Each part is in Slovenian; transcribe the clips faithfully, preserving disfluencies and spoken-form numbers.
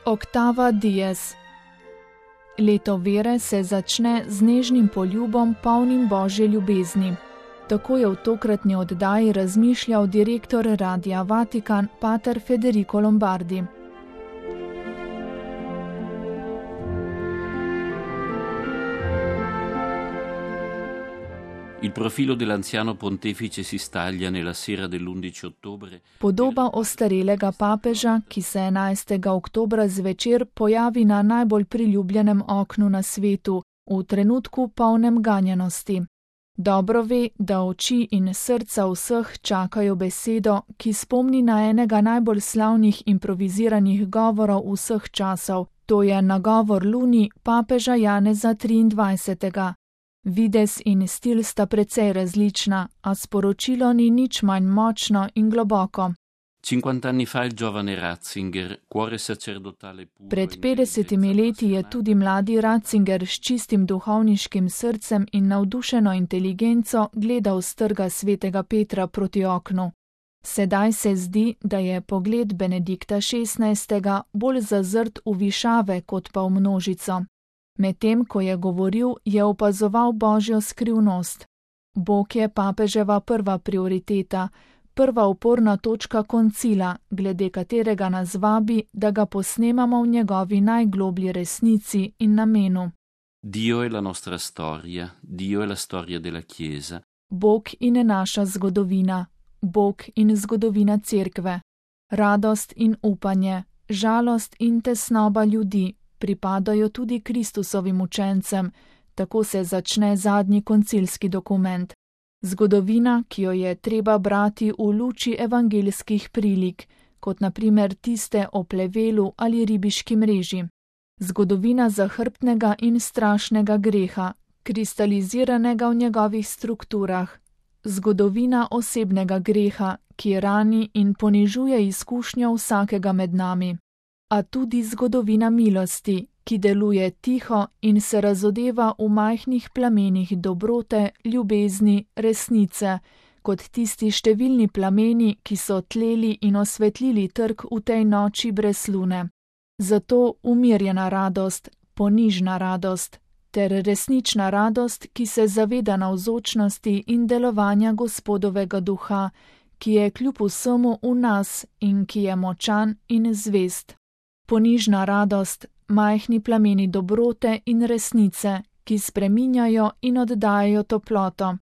Octava dies. Leto vere se začne z nežnim poljubom, polnim Božje ljubezni. Tako je v tokratni oddaji razmišljal direktor Radia Vatikan, pater Federico Lombardi. Il profilo dell'anziano pontefice si staglia nella sera dell'undici ottobre. Podoba ostarelega papeža, ki se enajstega oktobra zvečer pojavi na najbolj priljubljenem oknu na svetu, v trenutku polnem ganjenosti. Dobro ve, da oči in srca vseh čakajo besedo, ki spomni na enega najbolj slavnih improviziranih govorov vseh časov, to je nagovor Luni papeža Janeza triindvajsetega. Videz in stil sta precej različna, a sporočilo ni nič manj močno in globoko. cinquant'anni fa il giovane Ratzinger, cuore sacerdotale puro. Pred petdesetimi leti je tudi mladi Ratzinger s čistim duhovniškim srcem in navdušeno inteligenco gledal s trga svetega Petra proti oknu. Sedaj se zdi, da je pogled Benedikta šestnajstega bolj zazrt v višave kot pa v množico. Medtem, ko je govoril, je opazoval Božjo skrivnost. Bog je papeževa prva prioriteta, prva uporna točka koncila, glede katerega nas vabi, da ga posnemamo v njegovi najgloblji resnici in namenu. Dio è la nostra storia, Dio è la storia della Chiesa. Bog in naša zgodovina, Bog in zgodovina cerkve. Radost in upanje, žalost in tesnoba ljudi pripadajo tudi Kristusovim učencem, tako se začne zadnji koncilski dokument. Zgodovina, ki jo je treba brati v luči evangeljskih prilik, kot na primer tiste o plevelu ali ribiški mreži. Zgodovina zahrbtnega in strašnega greha, kristaliziranega v njegovih strukturah. Zgodovina osebnega greha, ki rani in ponižuje izkušnjo vsakega med nami. A tudi zgodovina milosti, ki deluje tiho in se razodeva v majhnih plamenih dobrote, ljubezni, resnice, kot tisti številni plameni, ki so tleli in osvetlili trg v tej noči brez lune. Zato umirjena radost, ponižna radost, ter resnična radost, ki se zaveda navzočnosti in delovanja Gospodovega duha, ki je kljub vsemu v nas in ki je močan in zvest. Ponižna radost, majhni plameni dobrote in resnice, ki spreminjajo in oddajajo toploto.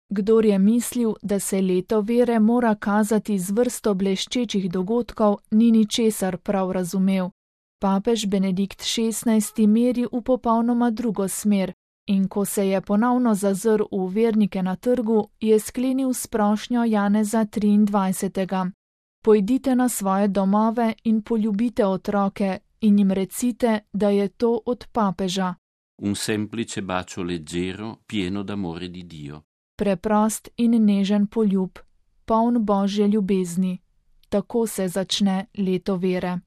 Kdor je mislil, da se leto vere mora kazati z vrsto bleščečih dogodkov, ni ničesar prav razumel. Papež Benedikt šestnajsti meri v popolnoma drugo smer in ko se je ponovno zazrl v vernike na trgu, je sklenil s prošnjo Janeza triindvajsetega. Pojdite na svoje domove in poljubite otroke in jim recite, da je to od papeža. Un semplice bacio leggero, pieno d'amore di Dio. Preprost in nežen poljub, poln Božje ljubezni. Tako se začne leto vere.